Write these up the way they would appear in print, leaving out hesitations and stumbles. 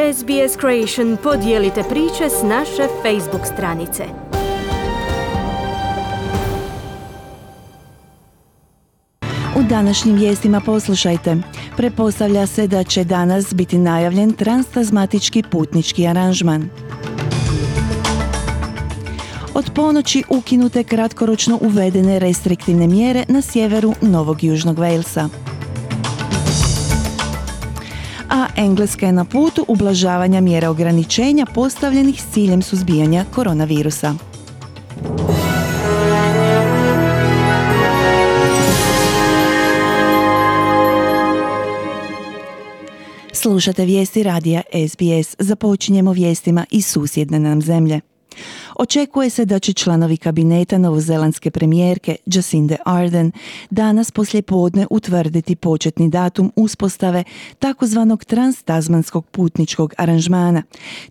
SBS Creation podijelite priče s naše Facebook stranice. U današnjim vijestima poslušajte. Pretpostavlja se da će danas biti najavljen transtazmatički putnički aranžman. Od ponoći ukinute kratkoročno uvedene restriktivne mjere na sjeveru Novog Južnog Walesa. A Engleska je na putu ublažavanja mjera ograničenja postavljenih s ciljem suzbijanja koronavirusa. Slušate vijesti radija SBS. Započinjemo vijestima iz susjedne nam zemlje. Očekuje se da će članovi kabineta novozelandske premijerke Jacinde Ardern danas poslijepodne utvrditi početni datum uspostave takozvanog transtazmanskog putničkog aranžmana,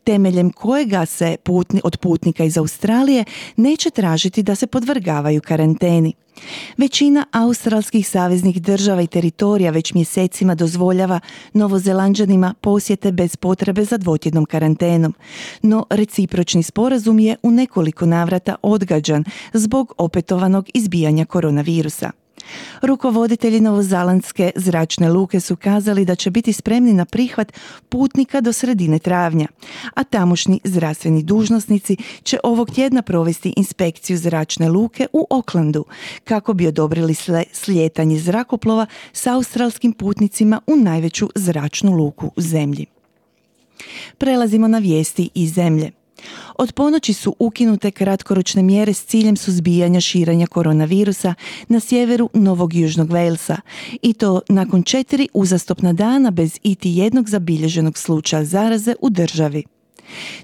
temeljem kojega se od putnika iz Australije neće tražiti da se podvrgavaju karanteni. Većina australskih saveznih država i teritorija već mjesecima dozvoljava Novozelanđanima posjete bez potrebe za dvotjednom karantenom, no recipročni sporazum je u nekoliko navrata odgađan zbog opetovanog izbijanja koronavirusa. Rukovoditelji novozelandske zračne luke su kazali da će biti spremni na prihvat putnika do sredine travnja, a tamošnji zdravstveni dužnosnici će ovog tjedna provesti inspekciju zračne luke u Aucklandu kako bi odobrili slijetanje zrakoplova s australskim putnicima u najveću zračnu luku u zemlji. Prelazimo na vijesti iz zemlje. Od ponoći su ukinute kratkoročne mjere s ciljem suzbijanja širenja koronavirusa na sjeveru Novog Južnog Walesa i to nakon 4 uzastopna dana bez iti jednog zabilježenog slučaja zaraze u državi.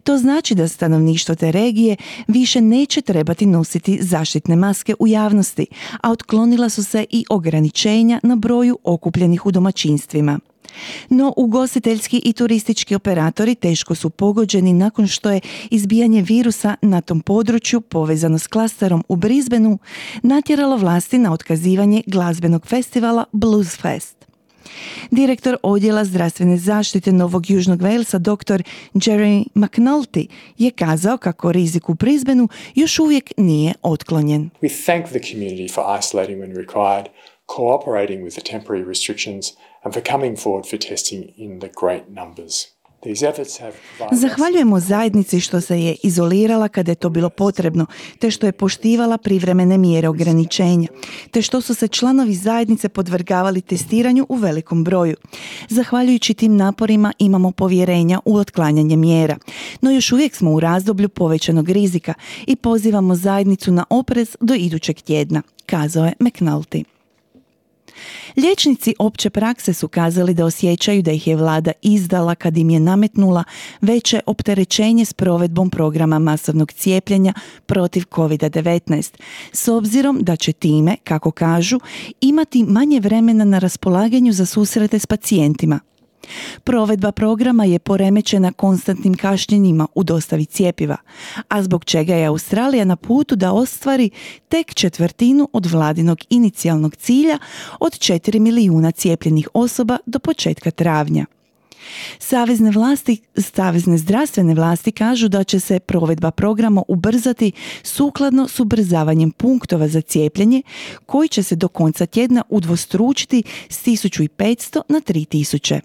To znači da stanovništvo te regije više neće trebati nositi zaštitne maske u javnosti, a otklonila su se i ograničenja na broju okupljenih u domaćinstvima. No ugostiteljski i turistički operatori teško su pogođeni nakon što je izbijanje virusa na tom području povezano s klasterom u Brisbaneu natjeralo vlasti na otkazivanje glazbenog festivala Blues Fest. Direktor odjela zdravstvene zaštite Novog Južnog Walesa dr. Jerry McNulty je kazao kako rizik u Brisbaneu još uvijek nije otklonjen. We thank the community for isolating when required, cooperating with the temporary restrictions and for coming forward for testing in the great numbers. Zahvaljujemo zajednici što se je izolirala kada je to bilo potrebno, te što je poštivala privremene mjere ograničenja, te što su se članovi zajednice podvrgavali testiranju u velikom broju. Zahvaljujući tim naporima imamo povjerenja u otklanjanje mjera, no još uvijek smo u razdoblju povećanog rizika i pozivamo zajednicu na oprez do idućeg tjedna, kazao je McNulty. Liječnici opće prakse su kazali da osjećaju da ih je vlada izdala kad im je nametnula veće opterećenje s provedbom programa masovnog cijepljenja protiv COVID-19, s obzirom da će time, kako kažu, imati manje vremena na raspolaganju za susrete s pacijentima. Provedba programa je poremećena konstantnim kašnjenjima u dostavi cjepiva, a zbog čega je Australija na putu da ostvari tek 1/4 od vladinog inicijalnog cilja od 4 milijuna cijepljenih osoba do početka travnja. Savezne zdravstvene vlasti kažu da će se provedba programa ubrzati sukladno s ubrzavanjem punktova za cijepljenje koji će se do konca tjedna udvostručiti s 1500 na 3000.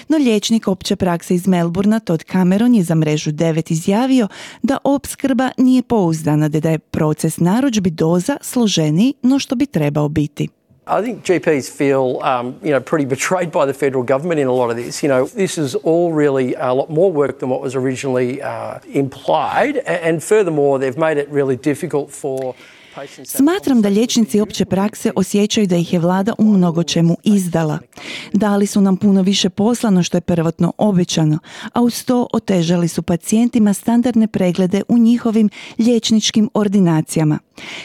No liječnik opće prakse iz Melbourna Todd Cameron je za mrežu 9 izjavio da opskrba nije pouzdana, te da je proces narudžbi doza složeniji no što bi trebao biti. I think GPs feel, pretty betrayed by the federal government in a lot of this. This is all really a lot more work than what was originally implied, and furthermore, they've made it really difficult for. Smatram da liječnici opće prakse osjećaju da ih je vlada u mnogo čemu izdala. Dali su nam puno više posla no što je prvotno obećano, a uz to otežali su pacijentima standardne preglede u njihovim liječničkim ordinacijama.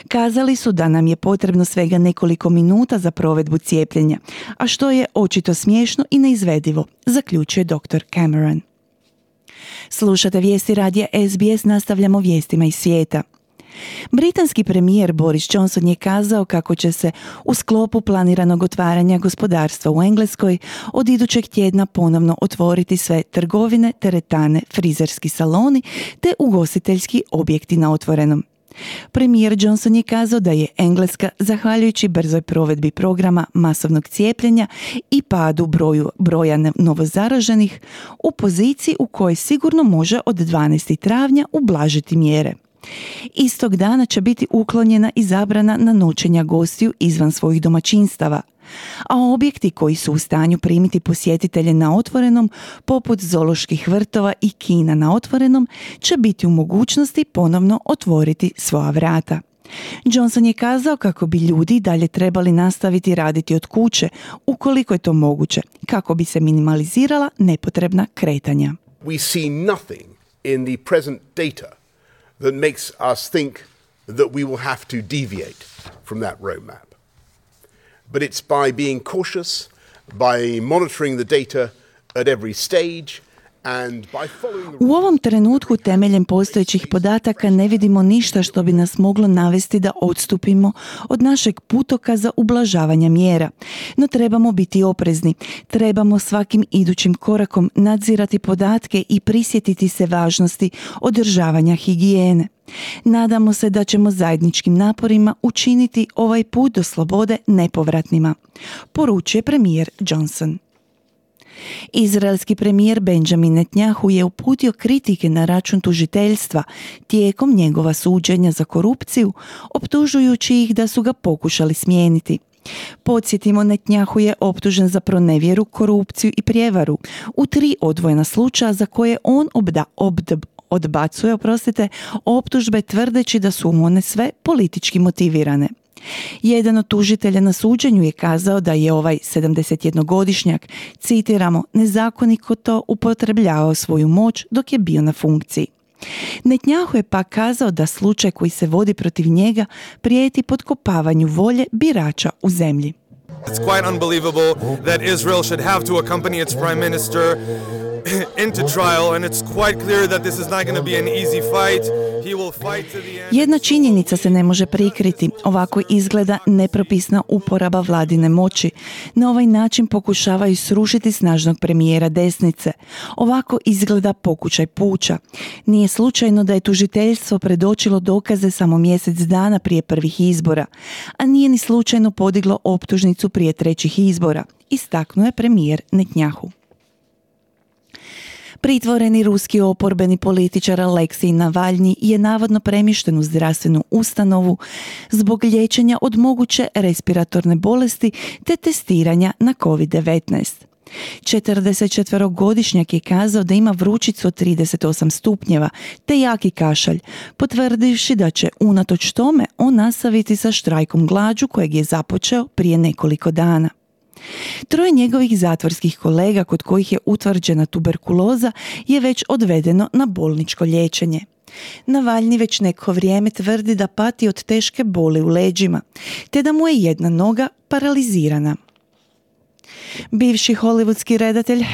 Kazali su da nam je potrebno svega nekoliko minuta za provedbu cijepljenja, a što je očito smiješno i neizvedivo, zaključuje dr. Cameron. Slušate vijesti radija SBS, nastavljamo vijestima iz svijeta. Britanski premijer Boris Johnson je kazao kako će se u sklopu planiranog otvaranja gospodarstva u Engleskoj od idućeg tjedna ponovno otvoriti sve trgovine, teretane, frizerski saloni te ugostiteljski objekti na otvorenom. Premijer Johnson je kazao da je Engleska, zahvaljujući brzoj provedbi programa masovnog cijepljenja i padu broja novozaraženih, u poziciji u kojoj sigurno može od 12. travnja ublažiti mjere. Istog dana će biti uklonjena i zabrana na noćenja gostiju izvan svojih domaćinstava, a objekti koji su u stanju primiti posjetitelje na otvorenom, poput zooloških vrtova i kina na otvorenom, će biti u mogućnosti ponovno otvoriti svoja vrata. Johnson je kazao kako bi ljudi dalje trebali nastaviti raditi od kuće, ukoliko je to moguće, kako bi se minimalizirala nepotrebna kretanja. We see nothing in the present data that makes us think that we will have to deviate from that roadmap. But it's by being cautious, by monitoring the data at every stage, and by following the... U ovom trenutku temeljem postojećih podataka ne vidimo ništa što bi nas moglo navesti da odstupimo od našeg putokaza ublažavanja mjera. No trebamo biti oprezni, trebamo svakim idućim korakom nadzirati podatke i prisjetiti se važnosti održavanja higijene. Nadamo se da ćemo zajedničkim naporima učiniti ovaj put do slobode nepovratnima, poručuje premijer Johnson. Izraelski premijer Benjamin Netanyahu je uputio kritike na račun tužiteljstva tijekom njegova suđenja za korupciju, optužujući ih da su ga pokušali smijeniti. Podsjetimo, Netanyahu je optužen za pronevjeru, korupciju i prijevaru u 3 odvojena slučaja za koje on odbacuje optužbe tvrdeći da su one sve politički motivirane. Jedan od tužitelja na suđenju je kazao da je ovaj 71-godišnjak, citiramo, nezakonito upotrebljavao svoju moć dok je bio na funkciji. Netanyahu je pak kazao da slučaj koji se vodi protiv njega prijeti potkopavanju volje birača u zemlji. It's quite unbelievable that Israel should have to accompany its prime minister into trial, and it's quite clear that this is not going to be an easy fight. He will fight to the end. Jedna činjenica se ne može prikriti. Ovako izgleda nepropisna uporaba vladine moći. Na ovaj način pokušavaju srušiti snažnog premijera desnice. Ovako izgleda pokušaj puča. Nije slučajno da je tužiteljstvo predočilo dokaze samo mjesec dana prije prvih izbora, a nije ni slučajno podiglo optužnicu prije 3. izbora, istaknuo je premijer Netanyahu. Pritvoreni ruski oporbeni političar Aleksej Navalnji je navodno premješten u zdravstvenu ustanovu zbog liječenja od moguće respiratorne bolesti te testiranja na COVID-19. 44-godišnjak je kazao da ima vrućicu od 38 stupnjeva te jaki kašalj, potvrdivši da će unatoč tome on nastaviti sa štrajkom glađu kojeg je započeo prije nekoliko dana. 3 njegovih zatvorskih kolega kod kojih je utvrđena tuberkuloza je već odvedeno na bolničko liječenje. Navalnji već neko vrijeme tvrdi da pati od teške boli u leđima, te da mu je jedna noga paralizirana. Bivši hollywoodski redatelj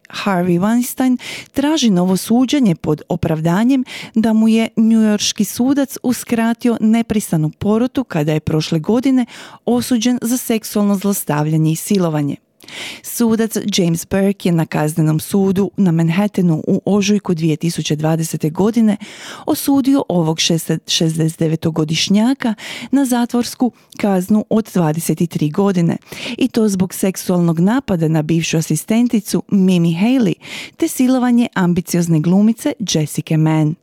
Harvey Weinstein traži novo suđenje pod opravdanjem da mu je njujorški sudac uskratio nepristanu porotu kada je prošle godine osuđen za seksualno zlostavljanje i silovanje. Sudac James Burke je na kaznenom sudu na Manhattanu u ožujku 2020. godine osudio ovog 69-godišnjaka na zatvorsku kaznu od 23 godine i to zbog seksualnog napada na bivšu asistenticu Mimi Haley te silovanje ambiciozne glumice Jessica Mann.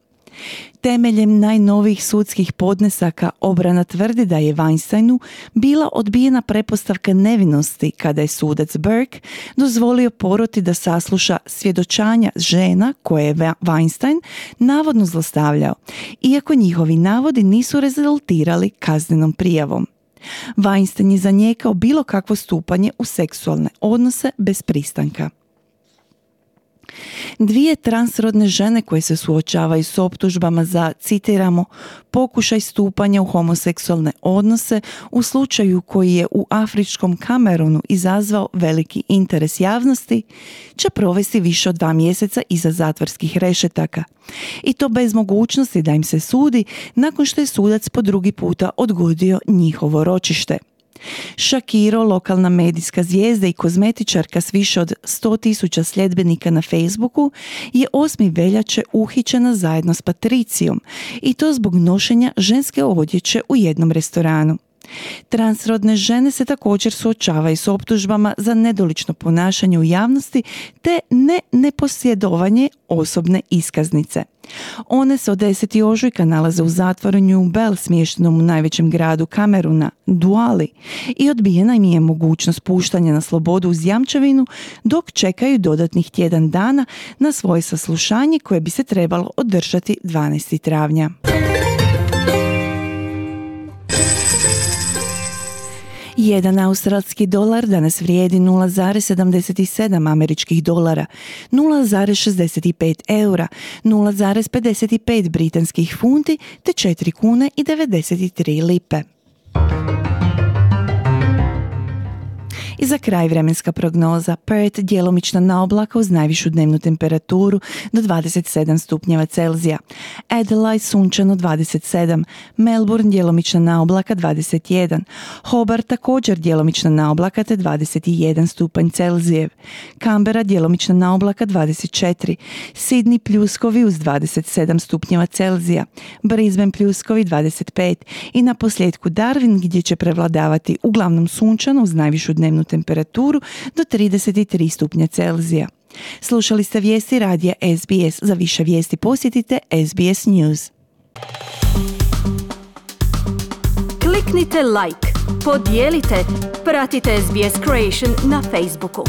Temeljem najnovijih sudskih podnesaka obrana tvrdi da je Weinsteinu bila odbijena pretpostavka nevinosti kada je sudac Burke dozvolio poroti da sasluša svjedočanja žena koje je Weinstein navodno zlostavljao, iako njihovi navodi nisu rezultirali kaznenom prijavom. Weinstein je zanijekao bilo kakvo stupanje u seksualne odnose bez pristanka. 2 transrodne žene koje se suočavaju s optužbama za, citiramo, pokušaj stupanja u homoseksualne odnose u slučaju koji je u afričkom Kamerunu izazvao veliki interes javnosti, će provesti više od 2 mjeseca iza zatvorskih rešetaka. I to bez mogućnosti da im se sudi nakon što je sudac po drugi puta odgodio njihovo ročište. Shakiro, lokalna medijska zvijezda i kozmetičarka s više od 100.000 sljedbenika na Facebooku, je 8. veljače uhićena zajedno s Patricijom i to zbog nošenja ženske odjeće u jednom restoranu. Transrodne žene se također suočavaju s optužbama za nedolično ponašanje u javnosti te neposjedovanje osobne iskaznice. One se od 10. ožujka nalaze u zatvoru New Bell, smještenom u najvećem gradu Kameruna, Douala, i odbijena im je mogućnost puštanja na slobodu uz jamčevinu dok čekaju dodatnih tjedan dana na svoje saslušanje koje bi se trebalo održati 12. travnja. Jedan australski dolar danas vrijedi 0,77 američkih dolara, 0,65 eura, 0,55 britanskih funti te 4 kune i 93 lipe. I za kraj vremenska prognoza. Perth djelomična na oblaka uz najvišu dnevnu temperaturu do 27 stupnjeva Celzija. Adelaide sunčano 27, Melbourne djelomična na oblaka 21, Hobart također djelomična na oblaka te 21 stupanj Celzijev, Canberra djelomična na oblaka 24, Sydney pljuskovi uz 27 stupnjeva Celzija, Brisbane pljuskovi 25 i na posljedku Darwin gdje će prevladavati uglavnom sunčano uz najvišu dnevnu temperaturu do 33 stupnja Celzija. Slušali ste vijesti radija SBS. Za više vijesti posjetite SBS News. Kliknite like, podijelite, pratite SBS Creation na Facebooku.